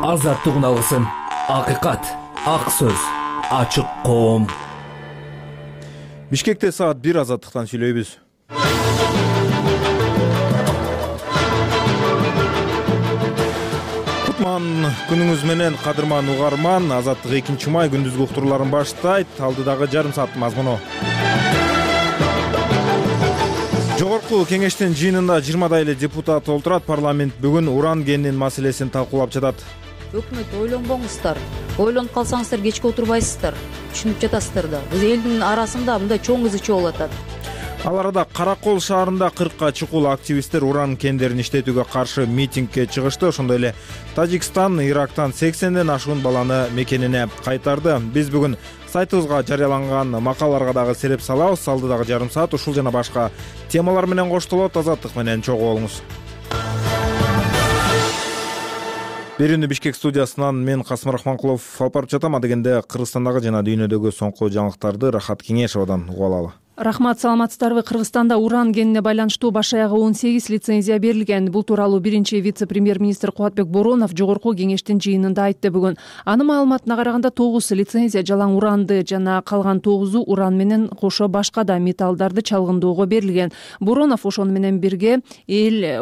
азаттык алгысын, акыйкат, ак сөз, ачык коом. Бишкекте саат 1 азаттыктан сүйлөйбүз. Кутман күнүңүз менен кадырман угарман. Азаттык 2-май күндүзгү уктурууларын баштайт. Алдыдагы жарым сааттын мазмуну. Жогорку кеңештин жыйынында 20 эле депутат олтурат. Парламент бүгүн уран кенинин маселесин талкуулап жатат. Өкмөт ойлонбоңуздар. Ойлонуп калсаңыздар кечке отурбайсыздар. Түшүнүп жатасыздар да. Биз элдин арасында мындай чоң ызы болуп атат. Ал арада Каракол шаарында 40ка чукул активисттер уран кендерин иштетүүгө каршы митингге чыгышты. Ошондой эле Тажикстан Ирактан 80ден ашуун баланы мекенине кайтарды. Биз бүгүн сайтыбызга жарыяланган макалаларга дагы сереп салабыз. Алдыдагы жарым саат ушул жана башка темалар менен коштолот. Азаттык менен чогуу болуңуз. Берүүнү Бишкек студиясынан мен Касым Рахманкулов алып барып жатам. Адегенде Кыргызстандагы жана дүйнөдөгү соңку жаңылыктарды Рахат Кеңешовадан угуп алалы. Рахмат, саламатсыздарбы? Кыргызстанда уран кенине байланыштуу баш аягы 18 лицензия берилген. Бул тууралуу биринчи вице-премьер-министр Кубатбек Боронов жогорку кеңештин жыйынында айтты бүгүн. Анын маалыматына караганда 9 лицензия жалаң уранды жана калган 9-у уран менен кошо башка да металлдарды чалгындоого берилген. Боронов ошону менен бирге эле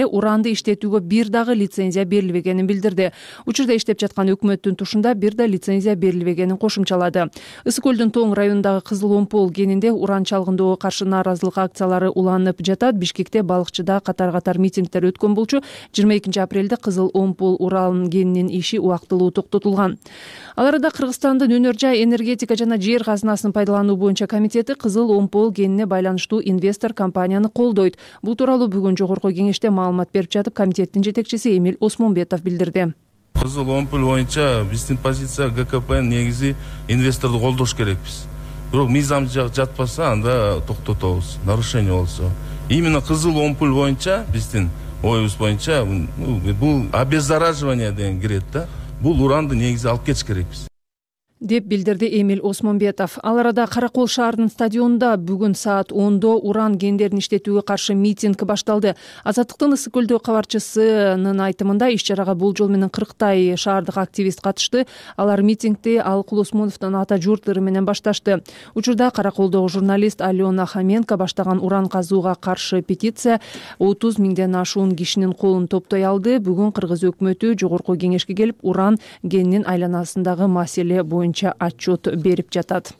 уранды иштетүүгө бир дагы лицензия берилбегенин билдирди. Учурда иштеп жаткан өкмөттүн тушунда бир да лицензия берилбегенин кошумчалады. Ысык көлдүн Тоң районундагы Кызыл Пол кенинде уран чалгындоого каршы нааразылык акциялары уланып жатат. Бишкекте балыкчыда катар митингдер өткөн болчу. 22 апрелде Кызыл Омпол уран кенинин иши убактылуу токтотулган. Ал арада Кыргызстандын өнөр жай, энергетика жана жер казынасын пайдалануу боюнча комитети Кызыл Омпол кенине байланыштуу инвестор компанияны колдойт. Бул тууралуу бүгүн жогорку кеңеште маалымат берип жатып, комитеттин жетекчиси Эмиль Осмонбетов билдирди. Кызыл Омпол боюнча биздин позиция ГКПнын негизи инвесторду колдош керекпиз. Бирок мыйзам жатпаса, анда токтотобуз. Нарушение болсо. Именно Кызыл Омпол боюнча биздин оюбуз боюнча бул обеззараживание деген кирет да. Бул уранды негизи алып кетиш керекпиз, деп билдирди Эмиль Осмонбетов. Ал арада Каракол шаарынын стадионунда бүгүн саат 10-до уран кендерин иштетүүгө каршы митинг башталды. Азаттыктын Ысык көлдөө кабарчысынын айтымында иш чарага бул менен 40тай шаардык активист катышты. Алар митингди Алыкул Осмоновдун ата журт ыры менен башташты. Учурда Караколдогу журналист Алена Хоменко баштаган уран казууга каршы петиция 30 миңден ашуун кишинин колун топтой алды. Бүгүн Кыргыз өкмөтү жогорку кеңешке келип, уран кенинин айланасындагы маселе боюнча отчет берип жатат.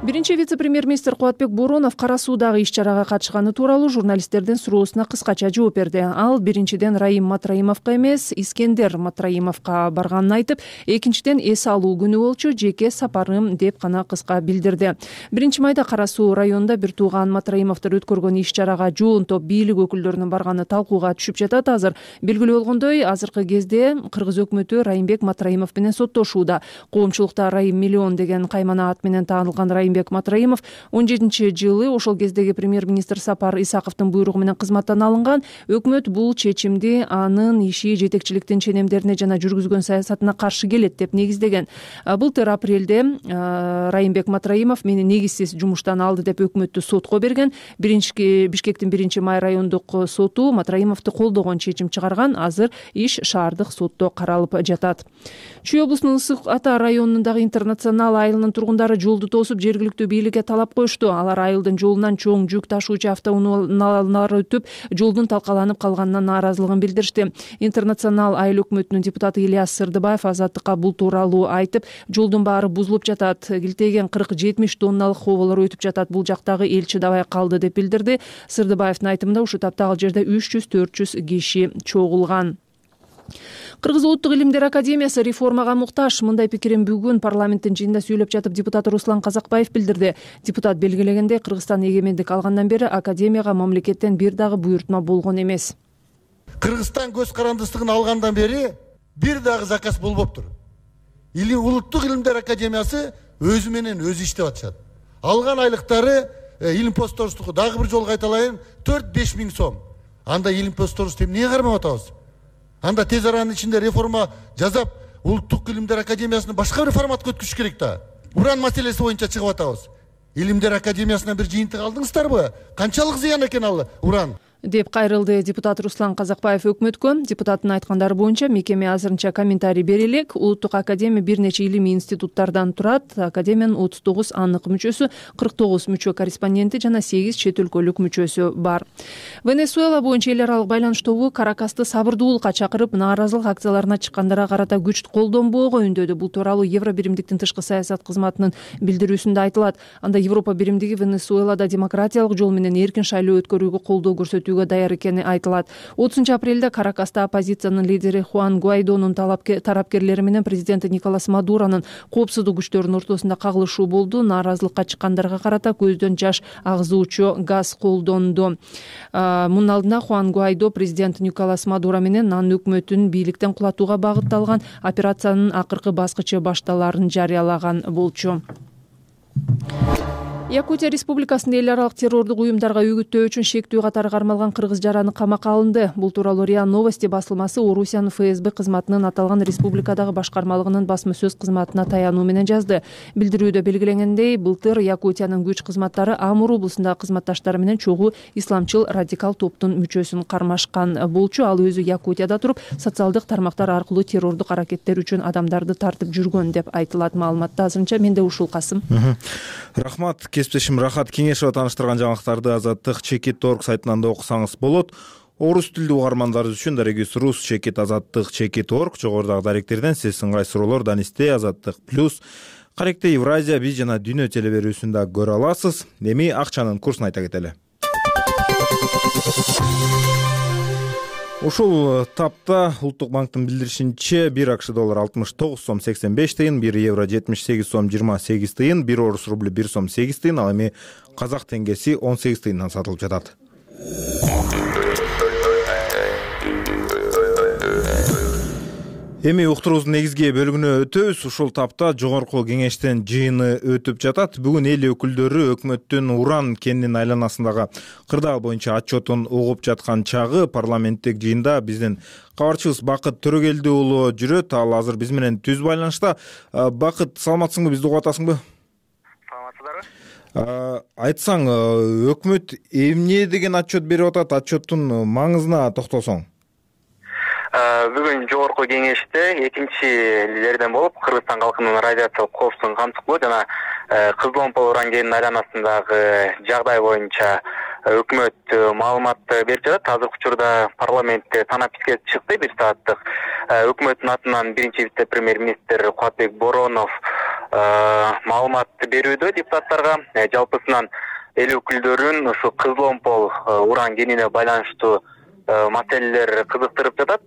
Биринчи вице-премьер-министр Кубатбек Боронов Кара Суудагы иш чарага катышканы тууралуу журналисттердин суроосуна кыскача жооп берди. Ал биринчиден Раим Матраимовго эмес, Искендер Матраимовго барганын айтып, экинчиден эс алуу күнү болчу, жеке сапарым деп гана кыска билдирди. 1-майда Кара Суу районунда бир тууган Матраимовдор өткөргөн иш чарага жоон топ бийлик өкүлдөрүнүн барганы талкууга түшүп жатат. Азыр белгилүү болгондой, азыркы кезде Кыргыз өкмөтү Раимбек Матраимов менен соттошууда. Коомчулукта Раим Миллион деген каймана ат менен таанылган Раимбек Матраимов 17-жылы ошол кездеги премьер-министр Сапар Исаковдун буйругу менен кызматтан алынган. Өкмөт бул чечимди анын иши жетекчиликтин ченемдерине жана жүргүзгөн саясатына каршы келет деп негиздеген. Былтыр апрелде Раимбек Матраимов мени негизсиз жумуштан алды деп өкмөттү сотко берген. Бишкектин 1-май райондук соту Матраимовду колдогон чечим чыгарган. Азыр иш шаардык сотто каралып жатат. Чүй облусунун Ысык Ата районундагы Интернационал айылынын тургундары жолду тосуп, жергиликтүү бийликке талап коюшту. Алар айылдын жолунан чоң жүк ташуучу автоунаалар өтүп, жолдун талкаланып калганына нааразылыгын билдиришти. Интернационал айыл өкмөтүнүн депутаты Ильяс Сырдыбаев Азаттыкка бул тууралуу айтып, жолдун баары бузулуп жатат, килтеген 40-70 тонналык хоболор өтүп жатат, бул жактагы эл чыдабай калды деп билдирди. Сырдыбаевдин айтымында ушул таптагы жерде 300-400 киши чогулган. Кыргыз Улуттук илимдер академиясы реформага муктаж. Мындай пикирин бүгүн парламенттин жыйынында сүйлөп жатып депутат Руслан Казакбаев билдирди. Депутат белгилегендей, Кыргызстан эгемендик алгандан бери академияга мамлекеттен бир дагы буйртма болгон эмес. Кыргызстан көз карандыстыгын алгандан бери бир дагы заказ болбоптур. Улуттук илимдер академиясы өзү менен өзү иштеп атышат. Алган айлыктары илим посторустуку дагы бир жолу кайталайын 4-5 миң сом. Анда илим посторусту эмне кармап атабыз? Анда тез аранын ичинде реформа жасап, Улуттук илимдер академиясыны башка бир форматка өткүзүш керек да. Уран маселеси боюнча чыгып атабыз. Илимдер академиясынан бир жыйынтык алдыңыздарбы? Канчалык зыян экен ал уран? деп кайрылды депутат Руслан Казакбаев өкмөткө. Депутаттын айткандары боюнча мекеме азырынча комментарий бере элек. Улуттук академия бир нече илимий институттардан турат. Академиянын 39 аннык мүчөсү, 49 мүчө корреспонденти жана 8 чет өлкөлүк мүчөсү бар. Венесуэла боюнча эл аралык байланыш тобу Каракасты сабырдуулукка чакырып, нааразылык акцияларына чыккандарга карата күч колдонбоого үндөдү. Бул тууралуу Евро биримдиктин тышкы саясат кызматынын билдирүүсүндө айтылат. Анда Европа биримдиги Венесуэлада демократиялык жол менен эркин шайлоо өткөрүүгө колдоо көрсөтүүгө даяр экени айтылат. 30-апрелде Каракаста оппозициянын лидери Хуан Гуайдонун тарапкерлери менен президенти Николас Мадуронун коопсуздук күчтөрүнүн ортосунда кагылышуу болду. Нааразылыкка чыккандарга карата көздөн жаш агызуучу газ колдонду. Мунун алдында Хуан Гуайдо президент Николас Мадуро менен анын өкмөтүн бийликтен кулатууга багытталган операциянын акыркы баскычы башталарын жарыялаган болчу. Якутия Республикасында эл аралык террордук уюмдарга үгүттөө үчүн шектүү катары кармалган кыргыз жараны камакка алынды. Бул тууралуу РИА Новости басылмасы Орусиянын ФСБ кызматынын аталган республикадагы башкармалыгынын басма сөз кызматына таянуу менен жазды. Билдирүүдө белгиленгендей, былтыр Якутиянын күч кызматтары Амур облусундагы кызматташтары менен чогуу исламчыл радикал топтун мүчөсүн кармашкан болчу. Ал өзү Якутияда туруп, социалдык тармактар аркылуу террордук аракеттер үчүн адамдарды тартып жүргөн деп айтылат маалыматта. Азырынча менде ушул, Касым. Рахмат. Кесиптешим Рахат Кеңешова тааныштырган жаңылыктарды Азаттык Чекит.org сайтынан да окусаңыз болот. Орус тилдүү угармандарыбыз үчүн Дарегис Рус Чекит Азаттык Чекит.org жогорудагы даректерден сиз ыңгай суроолор Данисте Азаттык плюс Каректе Евразия биз жана Дүйнө телеберүүсүндө көрө аласыз. Эми акчанын курсун айта кетели. Ушул тапта Улуттук банктын билдиришинче 1 АКШ доллары 69 сом 85 тыйын, 1 евро 78 сом 28 тыйын, 1 орус рубль 1 сом 8 тыйын, ал эми казак теңгеси 18 тыйындан сатылып жатат. Эми уктуруубуздун негизги бөлүгүнө өтөбүз. Ушул тапта жогорку кеңештин жыйыны өтүп жатат. Бүгүн эл өкүлдөрү өкмөттүн уран кенинин айланасындагы кырдаал боюнча отчетун угуп жаткан чагы парламенттик жыйында биздин кабарчыбыз Бакыт Төрөгелди уулу жүрөт. Ал азыр биз менен түз байланышта. Бакыт, саламатсыңбы, бизди угуп атасыңбы? Саламатсыздарбы? Айтсаң, өкмөт эмне деген отчет берип атат? Отчеттун маңызына токтолсоң. Бүгүн жогорку кеңеште экинчилерден болуп Кыргызстан калкынын радиациялык коопсуздугун камтыкуу жана Кызыл Омпол уран кенинин айланасындагы жагдай боюнча өкмөт маалымат берип жатат. Азыркы учурда парламентте санап бизге чыкты 1 сааттык. Өкмөттүн атынан биринчи вице-премьер-министр Кубатбек Боронов маалымат берүүдө депутаттарга. Жалпысынан эл өкүлдөрүн ушу Кызыл Омпол уран кенине байланыштуу маселелер кызыктырып жатат.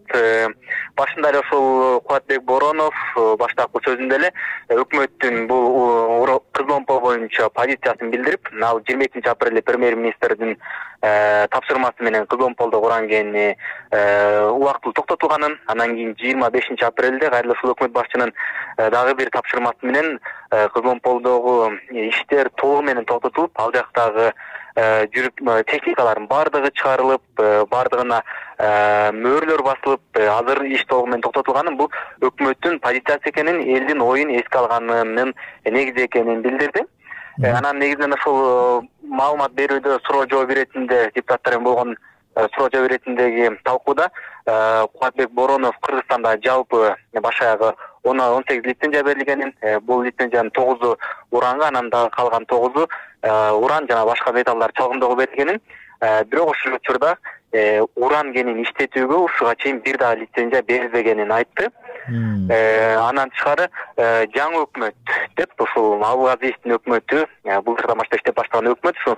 Башында эле ушул Кубатбек Боронов баштапкы сөзүндө эле өкмөттүн бул Кызыл Омпол боюнча позициясын билдирип, ал 22-апрелде премьер-министрдин тапшырмасы менен Кызыл Омполдогу уран кени убактылуу токтотулганын, анан кийин 25-апрелде кайра ушул өкмөт башчынын дагы бир тапшырмасы менен Кызыл Омполдогу иштер толугу менен токтотулуп, ал жактагы жүрүп техникалардын бардыгы чыгарылып, бардыгына мөөрлөр басылып, азыр иш толугу менен токтотулганын, бул өкмөттүн позициясы экенин, элдин оюн эске алганынын негизи экенин билдирди. Анан негизинен ушул маалымат берүүдө суроо жооп иретинде депутаттар менен болгон суроо жооп иретиндеги талкууда Кубатбек Боронов Кыргызстанда жалпы баш аягы 18 лицензия берилгенин, бул лицензиянын 9-у уранга, анан дагы калган 9-у уран жана башка металлдар чалгындоого берилгенин, бирок ушул учурда уран кенин иштетүүгө ушуга чейин бир дагы лицензия берилбегенин айтты. Анан тышкары жаңы өкмөт деп ушул Абылгазиевдин өкмөтү, былтырдан баштап иштеп баштаган өкмөт ушул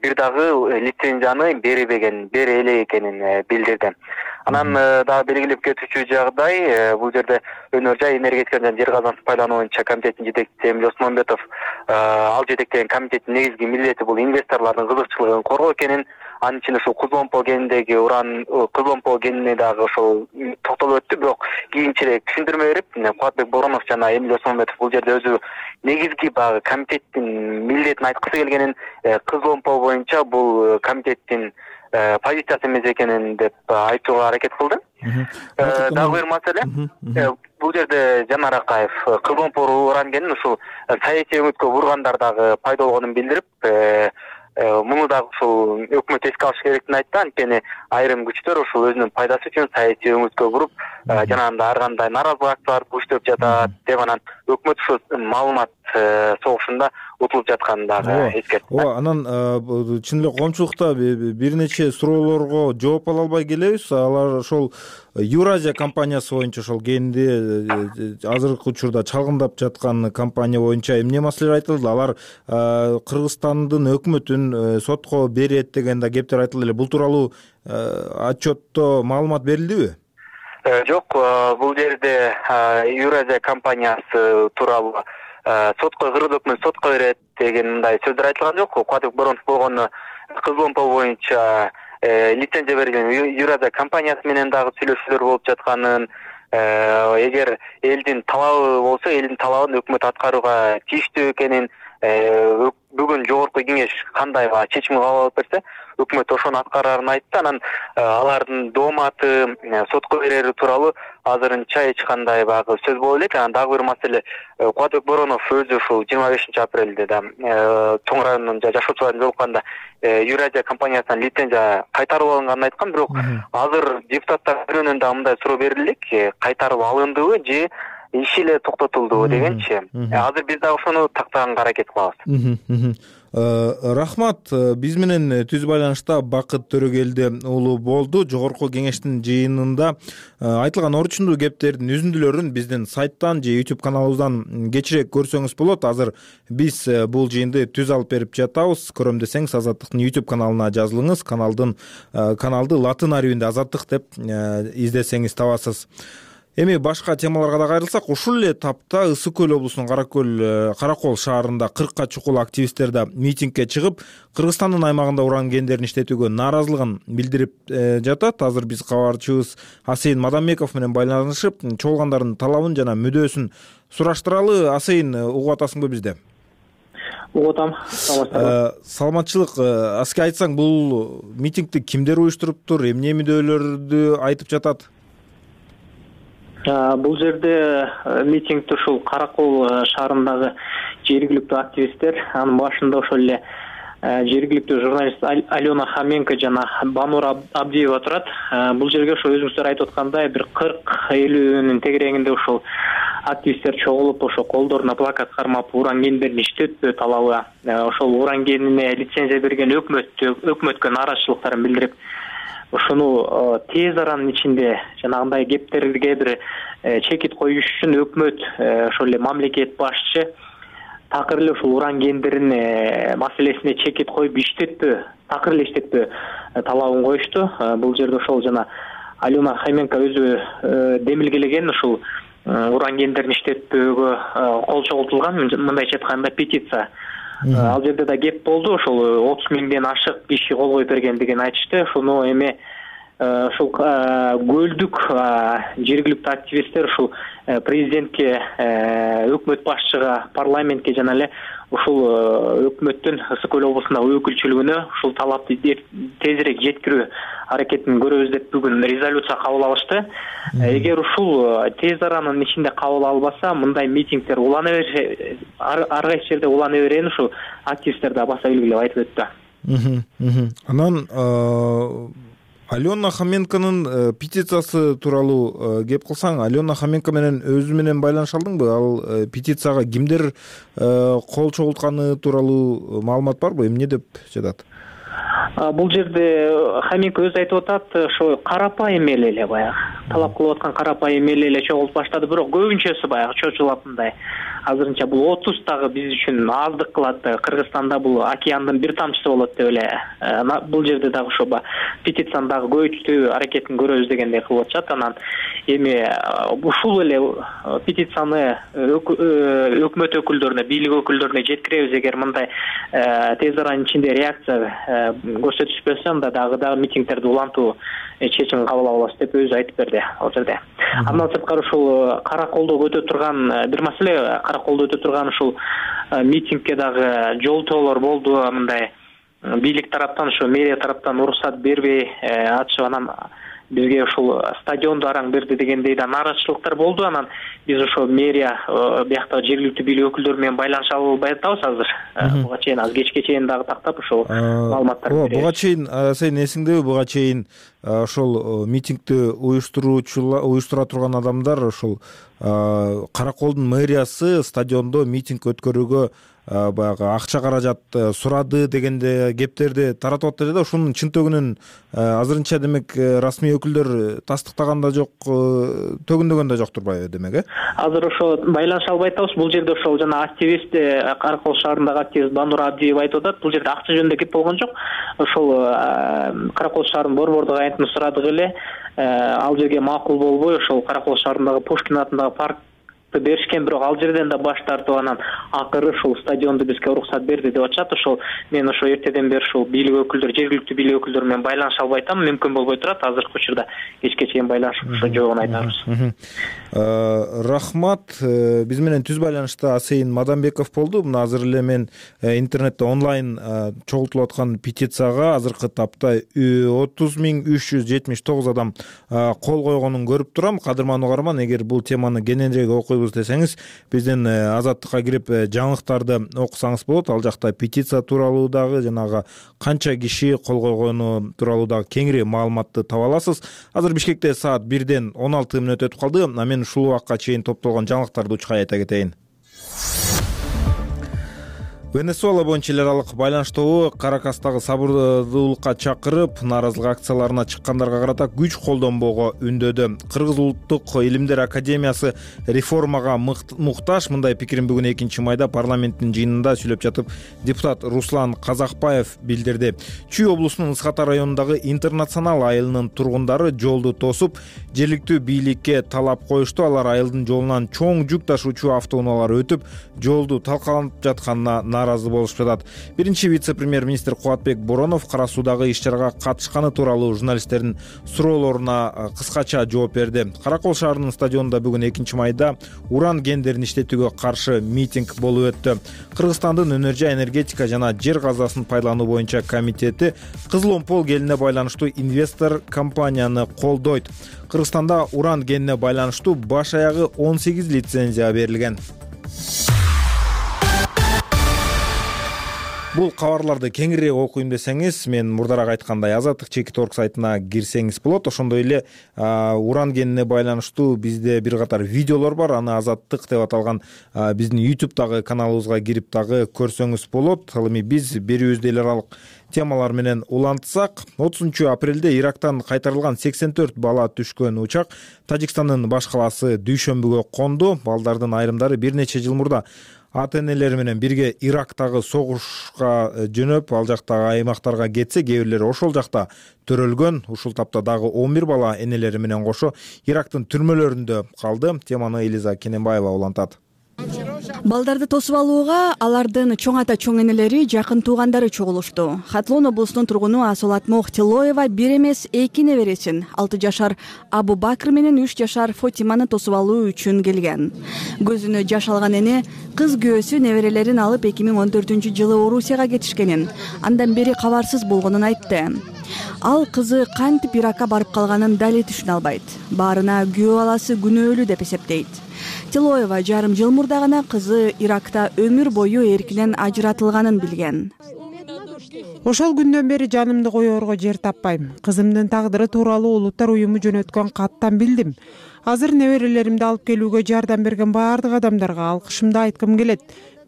бир дагы лицензияны бербеген, бере элек экенин билдирди. Анан дагы белгилеп кетүүчү жагдай, бул жерде өнөр жай энергетика жана жер казынын пайдалануу боюнча комитеттин жетекчиси Эмиль Осмонбетов ал жетектеген комитеттин негизги милдети бул инвесторлордун кызыкчылыгын коргоо экенин, анын ичинде ушул Кызыл Омпол кениндеги уран, Кызыл Омпол кенине дагы ошол токтолуп өттү, бирок кийинчерээк түшүндүрмө берип, Кубатбек Боронов жана Эмиль Осмонбетов бул жерде өзү негизги багы комитеттин милдетин айткысы келгенин, Кызыл Омпол боюнча бул комитеттин позициясы эмес экенин деп айтууга аракет кылды. Дагы бир маселе, бул жерде Жанар Акаев Кызыл Омпол уран кенин ушул саясий өңүткө бургандар дагы пайда болгонун билдирип, муну дагы ушул өкмөт эске алыш керектигин айтты. Анткени айрым күчтөр ушул өзүнүн пайдасы үчүн саясий өңүткө буруп, жанагындай ар кандай нааразылык акцияларды буштап жатат деп анан өкмөт ушул маалымат согушунда утулуп жатканын дагы эскертти. Ооба, анан чын эле коомчулукта бир нече суроолорго жооп ала албай келебиз. Алар ошол Евразия компаниясы боюнча ошол генди азыркы учурда чалгындап жаткан компания боюнча эмне маселелер айтылды? Алар Кыргызстандын өкмөтүн сотко берет деген да кептер айтылды эле. Бул тууралуу отчетто маалымат берилдиби? Жок, бул жерде Евразия компаниясы тууралуу сотко Кыргыз өкмөтү сотко берет деген мындай сөздөр айтылган жок. Кубатбек Боронов болгону Кызыл Омпол боюнча лицензия берилген Евразия компаниясы менен дагы сүйлөшүүлөр болуп жатканын, эгер элдин талабы болсо, элдин талабын өкмөт аткарууга тийиштүү экенин, бүгүн жогорку кеңеш кандай чечим кабыл алып берсе, өкмөт ошону аткарарын айтты. Анан алардын дооматы сотко берери тууралуу азырынча эч кандай баягы сөз боло элек. Анан дагы бир маселе, Кубатбек Боронов өзү ушул 25-апрелде да Чоң районунун жашоочуларын жолукканда Евразия компаниясынан лицензия кайтарып алынганын айткан. Бирок азыр депутаттар төрүнөн да мындай суроо берилик, кайтарып алындыбы же иши эле токтотулдубу дегенчи. Азыр биз дагы ошону тактаганга аракет кылабыз. Рахмат. Биз менен түз байланышта Бакыт Төрөгелди уулу болду. Жогорку кеңештин жыйынында айтылган орчундуу кептердин үзүндүлөрүн биздин сайттан же YouTube каналыбыздан кечирээк көрсөңүз болот. Азыр биз бул жыйынды түз алып берип жатабыз. Көрөм десеңиз Азаттыктын YouTube каналына жазылыңыз. Каналды латын арабинде Азаттык деп издесеңиз табасыз. Эми башка темаларга да кайрылсак, ушул эле тапта Ысык көл облусунун Каракол шаарында 40ка чукул активисттер да митингге чыгып, Кыргызстандын аймагында уран кендерин иштетүүгө нааразылыгын билдирип жатат. Азыр биз кабарчыбыз Асейин Мадамбеков менен байланышып, чогулгандардын талабын жана мүдөөсүн сураштыралы. Асейин, угуп атасыңбы бизде? Угуп атам. Саламатчылык. Аска айтсаң, бул митингди кимдер уюштуруптур, эмне мүдөөлөрдү айтып жатат? Бул жерде митингди ушул Каракол шаарындагы жергиликтүү активисттер, анын башында ошол эле жергиликтүү журналист Алена Хоменко жана Банур Абдиева турат. Бул жерге ошо өзүңүздөр айтып аткандай бир 40-50нин тегерегинде ушул активисттер чогулуп, ошо колдоруна плакат кармап, уран кендерин иштетпөө талабы, ошол уран кенине лицензия берген өкмөткө нааразычылыктарын билдирип, ошону тез аранын ичинде жанагындай кептерге бир чекит коюш үчүн өкмөт, ошол эле мамлекет башчы такыр эле ушул уран кендерин маселесине чекит коюп такыр эле иштетпөө талабын коюшту. Бул жерде ошол жана Алена Хоменко өзү демилгелеген ушул уран кендерин иштетпөөгө кол чогултулган, мындайча айтканда петиция. Ал жерде да кеп болду, ошол 30 миңден ашык киши кол коюп бергендигин айтышты. Ошону эми ушул көлдүк жергиликтүү активисттер ушул президентке, өкмөт башчыга, парламентке жана эле ушул өкмөттүн Ысык көл облусундагы өкүлчүлүгүнө ушул талапты тезирээк жеткирүү аракетин көрөбүз деп бүгүн резолюция кабыл алышты. Эгер ушул тез аранын ичинде кабыл албаса, мындай митингдер улана берсе, ар кайсы жерде улана берени ушул активисттер да баса белгилеп айтып өттү. Анан Алена Хоменконун петициясы тууралуу кеп кылсаң, Алена Хоменко менен өзү менен байланыша алдыңбы? Ал петицияга кимдер кол чогултканы тууралуу маалымат барбы? Эмне деп жатат? Бул жерде Хоменко өзү айтып атат, ошо карапайым эле баягы талап кылып аткан карапайым эле чогулуп баштады, бирок көбүнчөсү баягы чочулатындай. Азырынча бул 30 дагы биз үчүн аздык кылат. Кыргызстанда бул океандын бир тамчысы болот деп эле. Бул жерде дагы ошо петицияны дагы көбөйтүү аракетин көрөбүз дегендей кылып атышат. Анан эми ушул эле петицияны өкмөт өкүлдөрүнө, бийлик өкүлдөрүнө жеткиребиз. Эгер мындай тез аранын ичинде реакция көрсөтүшпөсө, анда дагы митингдерди улантуу чечим кабыл алабыз деп өзү айтып берди ал жерде. Андан сырткары ушул Караколдо өтө турган бир маселе, Караколдо өтө турган ушул митингге дагы жолтоолор болду. Мындай бийлик тараптан, ошо мэрия тараптан уруксат бербей атышып, анан бизге ушул стадионду араң берди дегендей да нааразычылыктар болду. Анан биз ошо мэрия бияктагы жергиликтүү бийлик өкүлдөрү менен байланыша албай атабыз азыр. Буга чейин аз кечке чейин дагы тактап ошол маалыматтарды беребиз. Буга чейин сен эсиңдеби, буга чейин ошол митингди уюштура турган адамдар ошол Караколдун мэриясы стадиондо митинг өткөрүүгө баягы акча каражат сурады дегенде кептерди таратып атты да, ушунун чынтөгүнүн азырынча демек расмий өкүлдөр тастыктаган да жок, төгүндөгөн да жок турбайбы демек? Азыр ошо байланыша албай атабыз. Бул жерде ошол жана активист Каракол шаарындагы активист Банура Абдиева айтып атат. Бул жерде акча жөнүндө кеп болгон жок. Ошол Каракол шаарынын борбордук агентин сурадык эле, ал жерге макул болбой ошол Каракол шаарындагы Пушкин атындагы паркты беришкен, бирок ал жерден да баш тартып анан акыры ушул стадионду бизге уруксат берди деп атышат. Ошол мен ошо эртеден бери ушул бийлик өкүлдөр, жергиликтүү бийлик өкүлдөрү менен байланыша албай атам. Мүмкүн болбой турат. Азыркы учурда кечке чейин байланышып ошо жоогун айтабыз. Рахмат. Биз менен түз байланышта Асейин Мадамбеков болду. Мына азыр эле мен интернетте онлайн чогултулуп аткан петицияга азыркы тапта 30.379 адам кол койгонун көрүп турам. Кадырман угарман, эгер бул теманы кененирээк окуйбуз десеңиз, биздин Азаттыкка кирип жаңылыктарды окусаңыз болот. Ал жакта петиция тууралуу дагы, жанагы канча киши кол койгону тууралуу дагы кеңири маалыматты таба аласыз. Азыр Бишкекте саат 1-ден 16 мүнөт өтүп калды. Мен ушул убакка чейин топтолгон жаңылыктарды учкай айта кетейин. Венесуэла боюнча эл аралык байланыш тобу Каракастагы сабырдуулукка чакырып, нааразылык акцияларына чыккандарга карата күч колдонбоого үндөдү. Кыргыз улуттук илимдер академиясы реформага муктаж. Мындай пикирин бүгүн 2-майда парламенттин жыйынында сүйлөп жатып депутат Руслан Казакбаев билдирди. Чүй облусунун Ысхата районундагы Интернационал айылынын тургундары жолду тосуп, жергиликтүү бийликке талап коюшту. Алар айылдын жолунан чоң жүк ташуучу автоунаалар өтүп, жолду талкаланып жатканына нааразы болушуп жатат. Биринчи вице-премьер-министр Кубатбек Боронов кара суудагы иш-чарага катышканы тууралуу журналисттердин суроолоруна кыскача жооп берди. Каракол шаарынын стадионунда бүгүн 2-майда уран кендерин иштетүүгө каршы митинг болуп өттү. Кыргызстандын Өнөр жай энергетика жана жер казасын пайдалануу боюнча комитети Кызыл Омпол келине байланыштуу инвестор компанияны колдойт. Кыргызстанда уран кенine байланыштуу баш аягы 18 лицензия берилген. Бул кабарларды кеңирээк окуйм десеңиз, мен мурдараак айткандай Азаттык Чекит.орг сайтына кирсеңиз болот. Ошондой эле уран кенine байланыштуу бизде бир катар видеолор бар. Аны Азаттык деп аталган биздин YouTube'дагы каналыбызга кирип дагы көрсөңүз болот. Ал эми биз берүүбүздө эл аралык темалар менен улантсак, 30-апрелде Ирактан кайтарылган 84 бала түшкөн учак Тажикстандын баш калаасы Дүйшөмбүгө конду. Балдардын айрымдары бир нече жыл мурда ата-энелери менен бирге Ирактагы согушка жөнөп, ал жактагы аймактарга кетсе, кээ бирлери ошол жакта төрөлгөн. Ушул тапта дагы 11 бала энелери менен кошо Ирактын түрмөлөрүндө калды. Теманы Элиза Кененбаева улантат. Балдарды тосуп алууга алардын чоң ата чоң энелери, жакын туугандары чогулушту. Хатлон облусунун тургуну Асолатмох Тилоева бир эмес 2 небересин 6 жашар Абу Бакр менен 3 жашар Фотиманы тосуп алуу үчүн келген. Көзүнө жаш алган эне кыз күйөөсү неберелерин алып 2014-жылы Орусияга кетишкенин, андан бери кабарсыз болгонун айтты. Ал кызы кантип Иракка барып калганын дали түшүнө албайт. Баарына күйөө баласы күнөөлүү деп эсептейт. Тилоева жарым жыл мурда гана кызы Иракта өмүр бою эркинен ажыратылганын билген. Ошол күндөн бери жанымды коёрго жер таппайм. Кызымдын тагдыры тууралуу Улуттар уюму жөнөткөн каттан билдим. Азыр неберелеримди алып келүүгө жардам берген баардык адамдарга алкышымды айткым келет.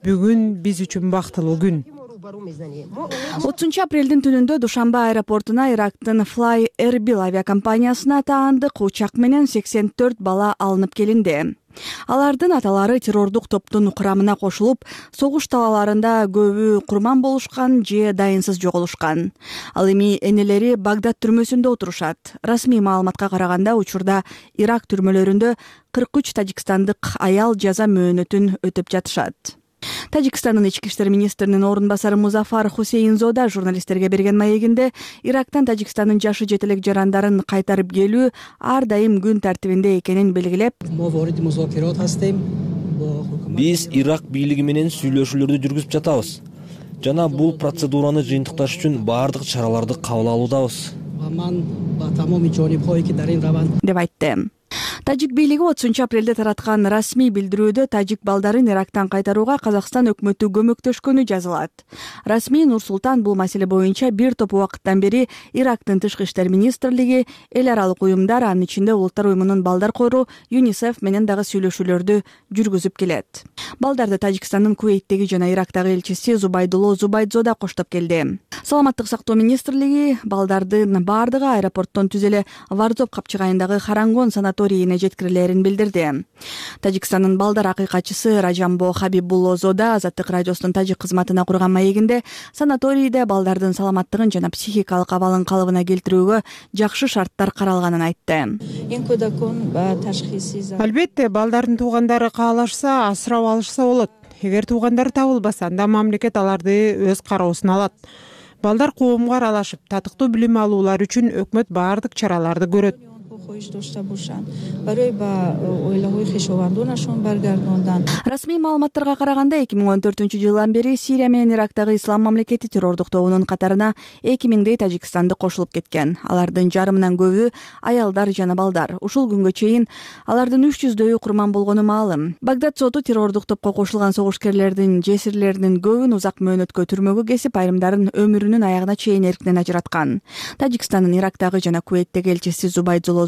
Бүгүн биз үчүн бактылуу күн. 30-апрелдин түнүндө Душанбе аэропортуна Ирактын Fly Erbil авиакомпаниясына таандык учак менен 84 бала алынып келинди. Алардын аталары террордук топтун курамына кошулуп, согуш талааларында көбү курман болушкан же дайынсыз жоголушкан. Ал эми энелери Багдад түрмөсүндө отурушат. Расмий маалыматка караганда учурда Ирак түрмөлөрүндө 43 тажикстандык аял жаза мөөнөтүн өтөп жатышат. Тажикстандын ички иштер министринин орун басары Музафар Хусейнзода журналисттерге берген маегинде Ирактан Тажикстандын жашы жетелек жарандарын кайтарып келүү ар дайым күн тартибинде экенин белгилеп, биз Ирак бийлиги менен сүйлөшүүлөрдү жүргүзүп жатабыз жана бул процедураны жыйынтыкташ үчүн баардык чараларды кабыл алуудабыз. деп айтты. Тажик бийлиги 30 апрелде тараткан расмий билдирүүдө тажик балдарын Ирактан кайтарууга Казакстан өкмөтү көмөктөшкөнү жазылат. Расмий Нур-Султан бул маселе боюнча бир топ убакыттан бери Ирактын тышкы иштер министрлиги, эл аралык уюмдар, анын ичинде Улуттар уюмунун балдар кору ЮНИСЕФ менен дагы сүйлөшүүлөрдү жүргүзүп келет. Балдарды Тажикстандын Кувейттеги жана Ирактагы элчиси Зубайдулло Зубайдзо да коштоп келди. Саламаттык сактоо министрлиги балдардын баардыгы аэропорттон түз эле Варзоп капчыгайындагы Харангон санаторийине жеткирилерин билдирди. Тажикстандын балдар акыйкатчысы Ражамбо Хабибуллозо да Азаттык радиосунун тажик кызматына курган маегинде санаторийде балдардын саламаттыгын жана психикалык абалын калыбына келтирүүгө жакшы шарттар каралганын айтты. Албетте, балдардын туугандары каалашса, асырап алышса болот. Эгер туугандары табылбаса, анда мамлекет аларды өз кароосуна алат. Балдар коомго аралашып, татыктуу билим алуулар үчүн өкмөт баардык чараларды көрөт. Расмий маалыматтарга караганда 2014-жылдан бери Сирия менен Ирактагы Ислам мамлекети террордук тобунун катарына 2000дей тажикстанды кошулуп кеткен. Алардын жарымынан көбү аялдар жана балдар. Ушул күнгө чейин алардын 300дөйү курман болгону маалым. Багдад соту террордук топко кошулган согушкерлердин жесирлеринин көбүн узак мөөнөткө түрмөгө кесип, айрымдарын өмүрүнүн аягына чейин эркинен ажыраткан. Тажикстандын Ирактагы жана Кувейттеги элчиси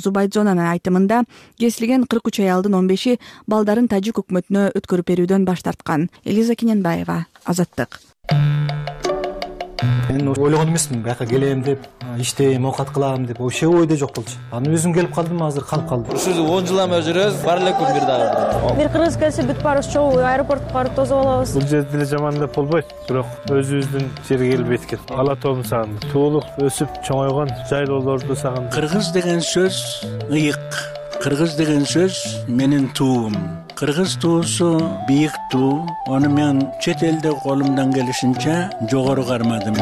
Зубайдзонун айтымында кесилген 43 аялдын 15и балдарын тажик өкмөтүнө өткөрүп берүүдөн баш тарткан. Элиза Кененбаева, Азаттык. Мен ойлогон эмесмин, бияка келем деп, иштейм, оокат кылам деп, вообще ойдо жок болчу. Аны өзүм келип калдым, азыр калып калдым. Ушул 10 жылдан бери жүрөбүз, бар эле күн бир дагы. Бир кыргыз келсе бүт баарыбыз чогуу аэропортко барып тосуп алабыз. Бул жерде деле жаман деп болбойт, бирок өзүбүздүн жерге келип эткет. Ала тообун сагындым. Туулук, өсүп чоңойгон жайлоолорду сагындым. Кыргыз деген сөз ыйык. Кыргыз деген сөз менин туум. Кыргыз туусу бийик туу. Аны мен чет элде колумдан келишинче жогору кармадым.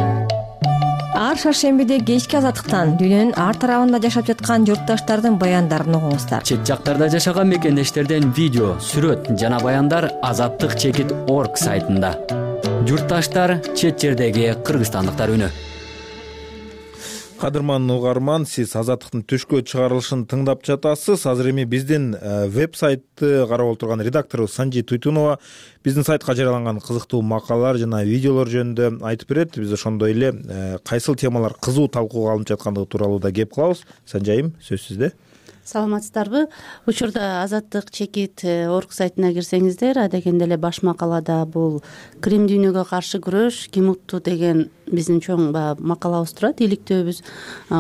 Ар шаршембиде кечки Азаттыктан дүйнөнүн ар тарабында жашап жаткан журтташтардын баяндарын угуңуздар. Чет жактарда жашаган мекендештерден видео, сүрөт жана баяндар azattik.org сайтында. Журтташтар, чет жердеги кыргызстандыктар үнү. Кадырман угарман, сиз Азаттыктын түшкө чыгарылышын тыңдап жатасыз. Азыр эми биздин веб-сайтты карап отурган редакторубуз Санжи Туйтунова биздин сайтка жарыяланган кызыктуу макалалар жана видеолор жөнүндө айтып берет. Биз ошондой эле кайсыл темалар кызуу талкууга алынып жаткандыгы тууралуу да кеп кылабыз. Санжайым, сөз сизде. Саламатсыздарбы? Учурда azattik.org сайтына кирсеңиздер, адегенде эле баш макалада бул Крим дүйнөгө каршы күрөш ким утту деген биздин чоң макалабыз турат, иликтөөбүз.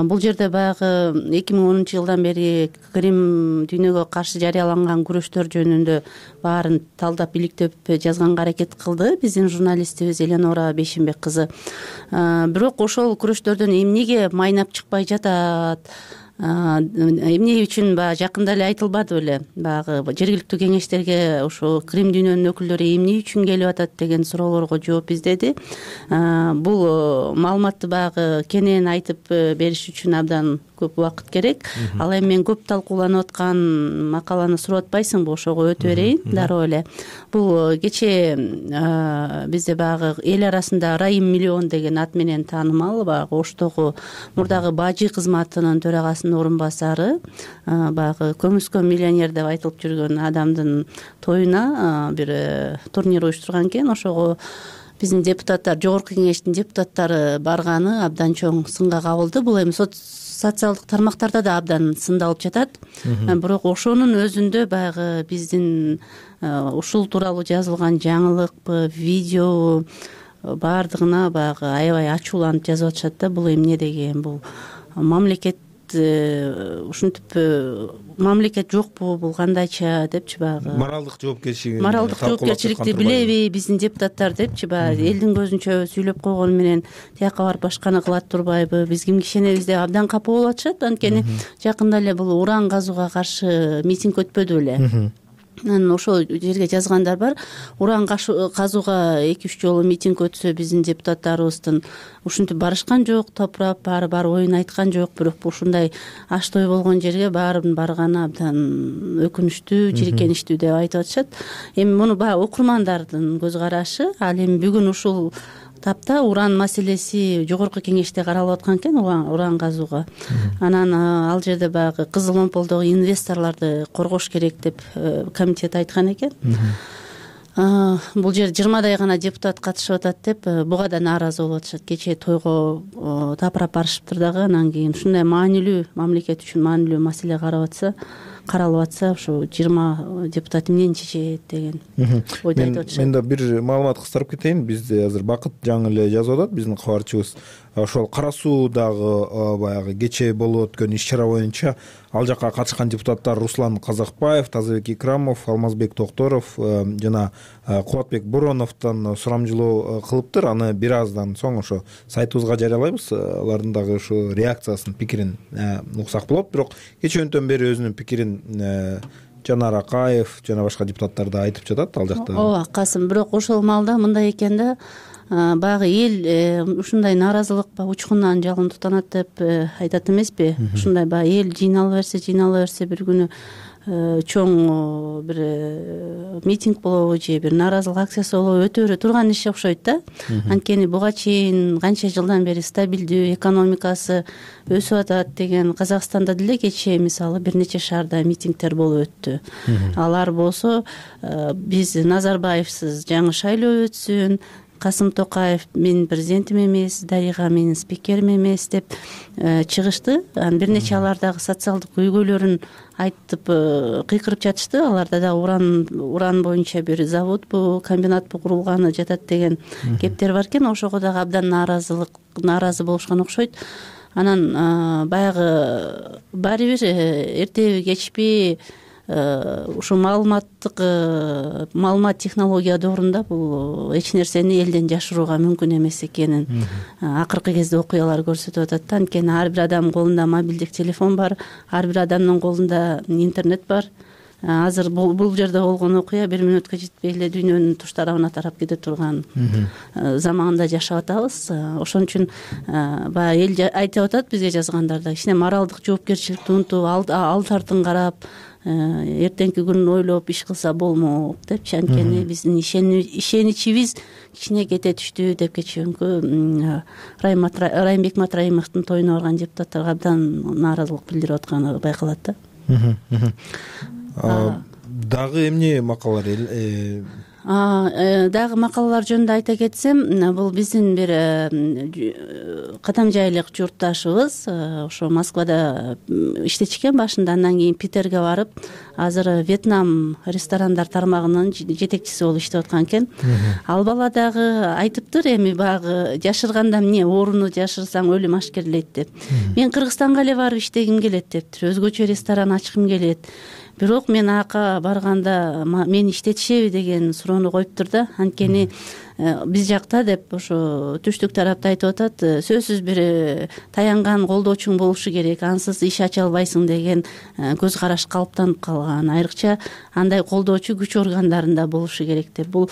Бул жерде баягы 2010-жылдан бери Крим дүйнөгө каршы жарыяланган күрөштөр жөнүндө баарын талдап иликтеп жазганга аракет кылды биздин журналистибиз Эленора Бейшенбек кызы. Бирок ошол күрөштөрдөн эмнеге майнап чыкпай жатат, эмне үчүн жакында эле айтылбады беле, баягы жергиликтүү кеңештерге ошо Крим дүйнөнүн өкүлдөрү эмне үчүн келип атат деген суроолорго жооп издеди. Бул маалыматты баягы кенен айтып бериш үчүн абдан көп убакыт керек. Ал эми мен көп талкууланып аткан макаланы сурап атпайсыңбы, ошого өтө берейин дароо эле. Бул кечээ бизде баягы эл арасында Райым Миллион деген ат менен таанымал баягы Оштогу мурдагы бажы кызматынын төрагасынын орун басары, баягы көмүскө миллионер деп айтылып жүргөн адамдын тоюна бир турнир уюштурган экен. Ошого биздин депутаттар, жогорку кеңештин депутаттары барганы абдан чоң сынга кабылды. Бул эми социалдык тармактарда да абдан сындалып жатат. Бирок ошонун өзүндө баягы биздин ушул тууралуу жазылган жаңылыкпы, видео баардыгына баягы аябай ачууланып жазып атышат да. Бул эмне деген, бул мамлекет ушинтип мамлекет жокпу, бул кандайча депчи баягы моралдык жоопкерчиликти билеби биздин депутаттар депчи баягы элдин көзүнчө сүйлөп койгону менен тияка барып башканы кылат турбайбы, биз кимге ишенебиз деп абдан капа болуп атышат. Анткени жакында эле бул уран казууга каршы митинг өтпөдү беле. Анан ошол жерге жазгандар бар. Уран казууга 2-3 жолу митинг өтсө биздин депутаттарыбыздын ушинтип барышкан жок, топурап баары оюн айткан жок. Бирок ушундай аштой болгон жерге баарын барганы абдан өкүнүчтүү, жиркеничтүү деп айтып атышат. Эми муну баягы окурмандардын көз карашы. Ал эми бүгүн ушул тапта уран маселеси жогорку кеңеште каралып аткан экен, уран казууга. Анан ал жерде баягы кызыл омполдогу инвесторлорду коргош керек деп комитет айткан экен. Бул жерде 20 гана депутат катышып атат деп буга да нааразы болуп атышат. Кечээ тойго тапырап барышыптыр дагы. Анан кийин ушундай маанилүү, мамлекет үчүн маанилүү маселе каралып атса, ушу 20 депутат эмнени чечет деген ойду айтып атышат. Мен да бир маалымат кыстырып кетейин. Бизде азыр Бакыт жаңы эле жазып атат, биздин кабарчыбыз. Ошол Кара Суудагы баягы кечээ болуп өткөн иш-чара боюнча ал жака катышкан депутаттар Руслан Казакбаев, Тазабек Икрамов, Алмазбек Токторов жана Кубатбек Бороновдон сурамжылоо кылыптыр. Аны бир аздан соң ошо сайтыбызга жарыялайбыз. Алардын дагы ушу реакциясын, пикирин уксак болот. Бирок кечөөндөн бери өзүнүн пикирин Жанар Акаев жана башка депутаттар да айтып жатат ал жакта. Ооба, Касым, бирок ошол маалда мындай экен да, баягы эл ушундай нааразылык учкундан жалындатат деп айтат эмеспи? Ушундай баягы эл жыйнала берсе бир күнү чоң бир митинг болобу же бир нааразылык акциясы болобу өтө бере турган иш окшойт да. Анткени буга чейин канча жылдан бери стабилдүү, экономикасы өсүп атат деген Казакстанда деле кечээ мисалы бир нече шаарда митингдер болуп өттү. Алар болсо биз Назарбаевсиз жаңы шайлоо өтсүн, Касым Токаев менин президентим эмес, Дарига менин спикерим эмес деп чыгышты. Бир нече алардагы социалдык көйгөйлөрүн айтып кыйкырып жатышты. Аларда да уран боюнча бир заводбу, комбинатпу курулганы жатат деген кептер бар экен. Ошого дагы абдан нааразы болушкан окшойт. Анан баягы баары бир эртеби кечпи ушу маалымат технология доорунда бул эч нерсени элден жашырууга мүмкүн эмес экенин акыркы кезде окуялар көрсөтүп атат да. Анткени ар бир адамдын колунда мобилдик телефон бар, ар бир адамдын колунда интернет бар. Азыр бул жерде болгон окуя 1 мүнөткө жетпей эле дүйнөнүн туш тарабына тарап кете турган заманда жашап атабыз. Ошон үчүн баягы эл айтып атат бизге жазгандарда, кичине моралдык жоопкерчиликти унутуп, алды артын карап, эртеңки күнүн ойлоп иш кылса болмок депчи. Анткени биздин ишеничибиз кичине кете түштү деп кечээкү Райымбек Матраимовдун тоюна барган депутаттарга абдан нааразылык билдирип атканы байкалат да. Дагы эмне макалалар дагы макалалар жөнүндө айта кетсем, бул биздин бир кадам жайлык журтташыбыз ошо Москвада иштечкен башында, андан кийин Питерге барып, азыр Вьетнам ресторандар тармагынын жетекчиси болуп иштеп аткан экен. Ал бала дагы айтыптыр, эми баягы жашырганда эмне ооруну жашырсаң өлүм ашкерлейт деп. Мен Кыргызстанга эле барып иштегим келет дептир, өзгөчө ресторан ачкым келет. Бирок мен ака барганда мени иштетишеби деген суроону коюптур да. Анткени биз жакта деп ошо түштүк тарапта айтып атат, сөзсүз бир таянган колдоочуң болушу керек, ансыз иш ача албайсың деген көз караш калыптанып калган. Айрыкча андай колдоочу күч органдарында болушу керек деп. Бул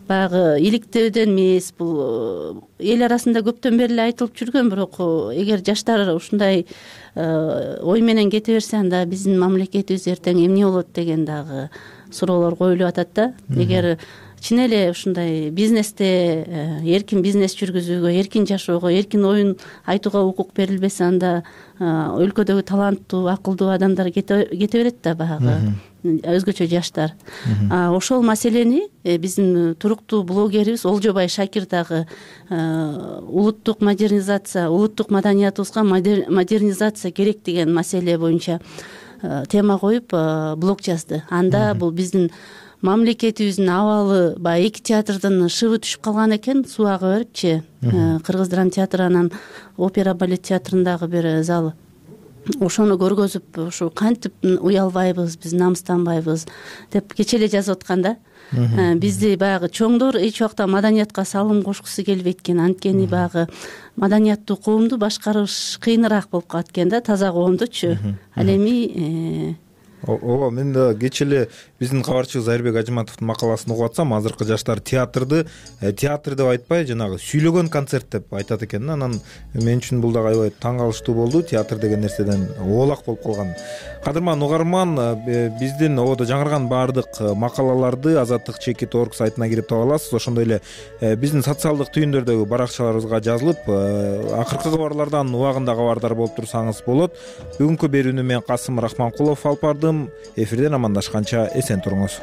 баягы иликтөөдөн эмес, бул эл арасында көптөн бери эле айтылып жүргөн. Бирок эгер жаштар ушундай ой менен кете берсе, анда биздин мамлекетибиз эртең эмне болот деген дагы суроолор коюлуп атат да. Эгер чын эле ушундай бизнесте эркин бизнес жүргүзүүгө, эркин жашоого, эркин оюн айтууга укук берилбесе, анда өлкөдөгү таланттуу, акылдуу адамдар кете берет да, баягы өзгөчө жаштар. Ошол маселени биздин туруктуу блогерибиз Олжобай Шакир дагы улуттук модернизация, улуттук маданиятыбызга модернизация керек деген маселе боюнча тема коюп блог жазды. Анда бул биздин мамлекетибиздин абалы баягы 2 театрдын шыбы түшүп калган экен, суу ага берипчи. Кыргыз драма театры анан опера балет театрындагы бир зал. Ошону көргөзүп, ушу кантип уялбайбыз, биз намыстанбайбыз деп кечээ эле жазып аткан да. Бизди баягы чоңдор эч убакта маданиятка салым кошкусу келбейт экен. Анткени баягы маданияттуу коомду башкарыш кыйыныраак болуп калат экен да, таза коомдучу. Ал эми Ооба, мен да кечээ эле биздин кабарчыбыз Айырбек Ажыматовдун макаласын угуп атсам, азыркы жаштар театрды театр деп айтпай, жанагы сүйлөгөн концерт деп айтат экен. Анан мен үчүн бул дагы аябай таң калыштуу болду. Театр деген нерседен оолак болуп калган. кадырман угарман, биздин ободо жаңырган баардык макалаларды Азаттык чекит орг сайтына кирип таба аласыз. Ошондой эле биздин социалдык түйүндөрдөгү баракчаларыбызга жазылып, акыркы кабарлардан убагында кабардар болуп турсаңыз болот. Бүгүнкү берүүнү мен Касым Рахманкулов алып бардым. Эфирден амандашканча эсен туруңуз.